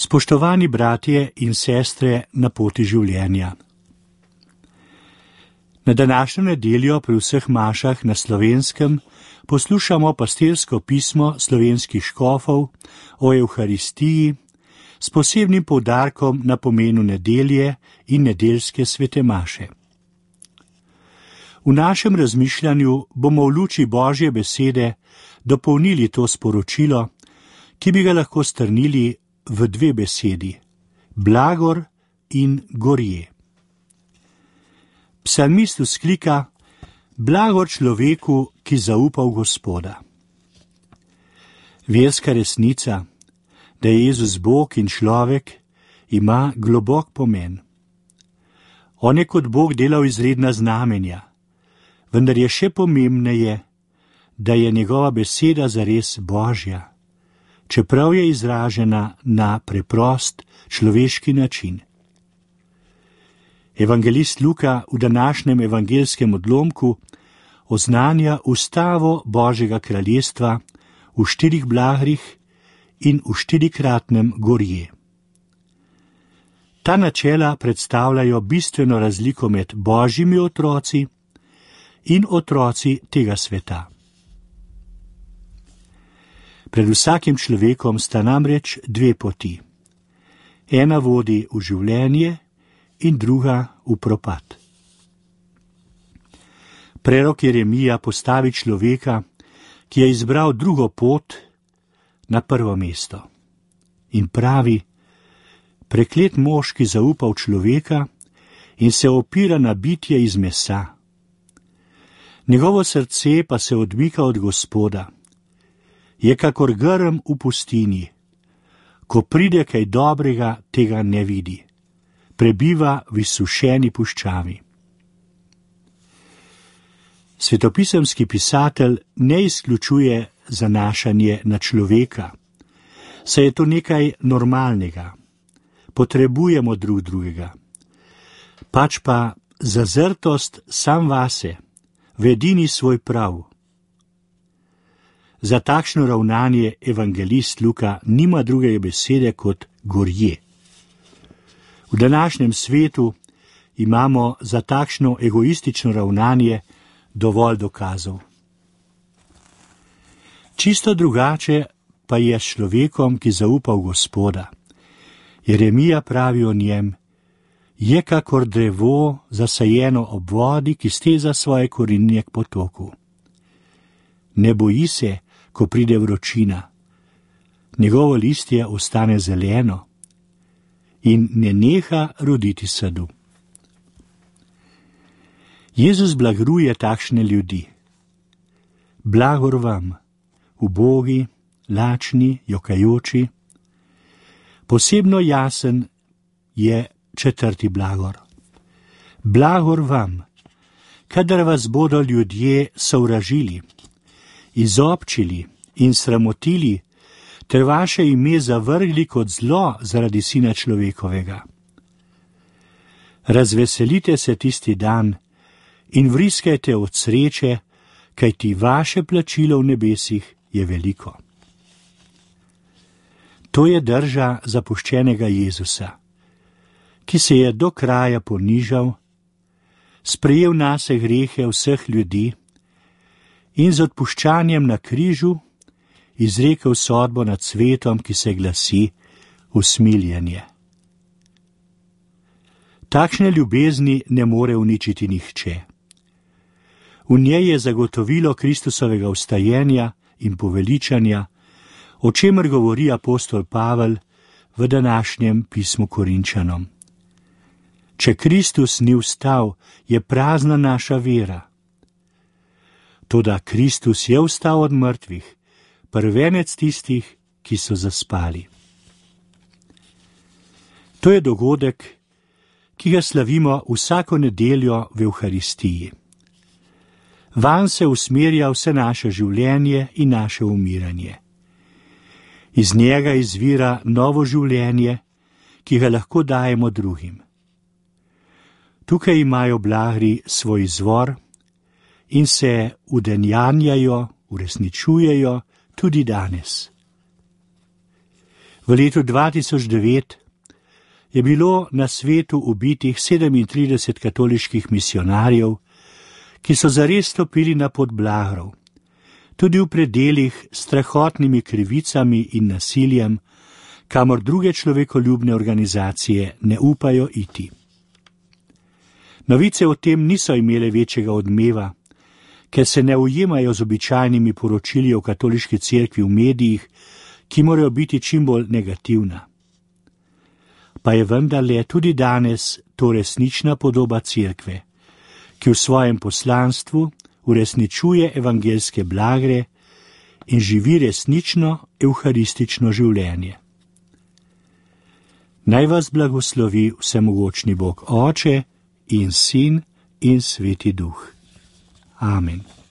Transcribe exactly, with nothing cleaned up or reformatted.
Spoštovani bratje in sestre na poti življenja. Na današnjo nedeljo pri vseh mašah na Slovenskem poslušamo pastirsko pismo slovenskih škofov o Evharistiji s posebnim poudarkom na pomenu nedelje in nedeljske svete maše. V našem razmišljanju bomo v luči Božje besede dopolnili to sporočilo, ki bi ga lahko strnili v dve besedi: blagor in gorje. Psalmist vzklika: blagor človeku, ki zaupa v Gospoda. Verska resnica, da je Jezus Bog in človek, ima globok pomen. On je kot Bog delal izredna znamenja, vendar je še pomembneje, da je njegova beseda zares Božja, čeprav je izražena na preprost človeški način. Evangelist Luka v današnjem evangelskem odlomku oznanja ustavo Božjega kraljestva v štirih blagrih in v štirikratnem gorje. Ta načela predstavljajo bistveno razliko med Božjimi otroci in otroci tega sveta. Pred vsakim človekom sta namreč dve poti. Ena vodi v življenje in druga v propad. Prerok Jeremija postavi človeka, ki je izbral drugo pot, na prvo mesto in pravi: preklet mož, ki zaupa v človeka in se opira na bitje iz mesa. Njegovo srce pa se odmika od Gospoda. Je kakor grm v pustinji. Ko pride kaj dobrega, tega ne vidi. Prebiva v izsušeni puščavi. Svetopisemski pisatelj ne izključuje zanašanje na človeka, saj je to nekaj normalnega. Potrebujemo drug drugega. Pač pa zazrtost sam vase, v edini svoj prav. Za takšno ravnanje evangelist Luka nima druge besede kot gorje. V današnjem svetu imamo za takšno egoistično ravnanje dovolj dokazov. Čisto drugače pa je s človekom, ki zaupa v Gospoda. Jeremija pravi o njem: je kakor drevo zasajeno ob vodi, ki steza svoje korenine k potoku. Ne boji se, ko pride vročina. Njegovo listje ostane zeleno in ne neha roditi sadu. Jezus blagruje takšne ljudi. Blagor vam, ubogi, lačni, jokajoči. Posebno jasen je četrti blagor. Blagor vam, kadar vas bodo ljudje sovražili, izobčili in sramotili, ter vaše ime zavrgli kot zlo zaradi Sina človekovega. Razveselite se tisti dan in vriskajte od sreče, kajti vaše plačilo v nebesih je veliko. To je drža zapuščenega Jezusa, ki se je do kraja ponižal, sprejel nase grehe vseh ljudi in z odpuščanjem na križu izrekel sodbo nad svetom, ki se glasi usmiljenje. Takšne ljubezni ne more uničiti nihče. V njej je zagotovilo Kristusovega vstajenja in poveličanja, o čemer govori apostol Pavel v današnjem pismu Korinčanom. Če Kristus ni vstal, je prazna naša vera. Toda Kristus je vstal od mrtvih, prvenec tistih, ki so zaspali. To je dogodek, ki ga slavimo vsako nedeljo v Evharistiji. Vanj se usmerja vse naše življenje in naše umiranje. Iz njega izvira novo življenje, ki ga lahko dajemo drugim. Tukaj imajo blagri svoj izvor in se udejanjajo, uresničujejo tudi danes. V V letu dva tisoč devet je bilo na svetu ubitih sedemintrideset katoliških misionarjev, ki so zares stopili na pot blagrov, tudi v predelih s strahotnimi krivicami in nasiljem, kamor druge človekoljubne organizacije ne upajo iti. Novice o tem niso imele večjega odmeva, ker se ne ujemajo z običajnimi poročili o katoliški cerkvi v medijih, ki morajo biti čim bolj negativna. Pa je vendarle tudi danes to resnična podoba cerkve, ki v svojem poslanstvu uresničuje evangeljske blagre in živi resnično evharistično življenje. Naj vas blagoslovi vsemogočni Bog Oče in Sin in Sveti Duh. Amen.